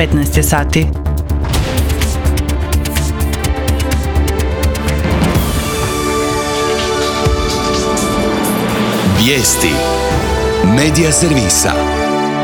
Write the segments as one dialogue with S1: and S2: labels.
S1: 15 je sati.
S2: Vijesti Medija servisa.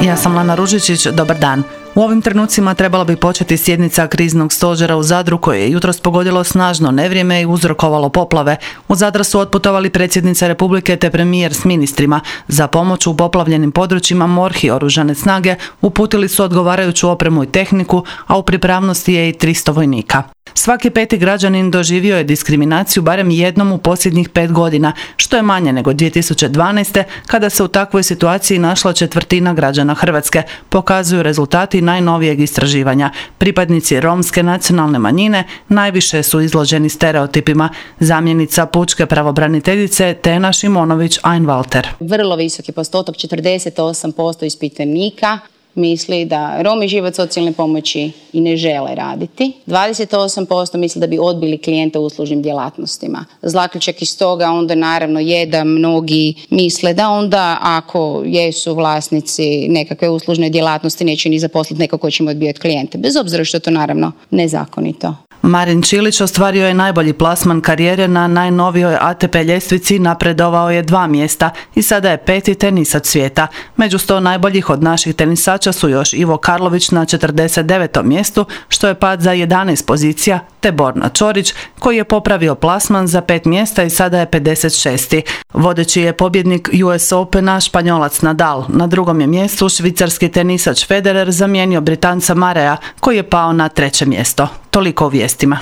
S1: Ja sam Lana Ružičić, dobar dan. U ovim trenucima trebala bi početi sjednica kriznog stožera u Zadru koje je jutros pogodilo snažno nevrijeme i uzrokovalo poplave. U Zadra su otputovali predsjednica Republike te premijer s ministrima. Za pomoć u poplavljenim područjima MORH i oružane snage uputili su odgovarajuću opremu i tehniku, a u pripravnosti je i 300 vojnika. Svaki peti građanin doživio je diskriminaciju barem jednom u posljednjih 5 godina, što je manje nego 2012. kada se u takvoj situaciji našla četvrtina građana Hrvatske, pokazuju rezultati najnovijeg istraživanja. Pripadnici romske nacionalne manjine najviše su izloženi stereotipima. Zamjenica pučke pravobraniteljice Tena Šimonović-Einwalter.
S3: Vrlo visoki postotak, 48% ispitanika misli da Romi žive od socijalne pomoći i ne žele raditi. 28% misli da bi odbili klijenta u uslužnim djelatnostima. Zaključak iz toga onda naravno je da mnogi misle da onda ako jesu vlasnici nekakve uslužne djelatnosti neće ni zaposliti neko ko će im odbijati klijente. Bez obzira što je to naravno nezakonito.
S1: Marin Čilić ostvario je najbolji plasman karijere na najnovijoj ATP ljestvici, napredovao je 2 mjesta i sada je 5. tenisač svijeta. Među 100 najboljih od naših tenisača su još Ivo Karlović na 49. mjestu, što je pad za 11 pozicija, te Borna Čorić, koji je popravio plasman za 5 mjesta i sada je 56. Vodeći je pobjednik US Opena Španjolac Nadal. Na drugom je mjestu švicarski tenisač Federer zamijenio Britanca Mareja, koji je pao na 3. mjesto. Toliko u vijestima.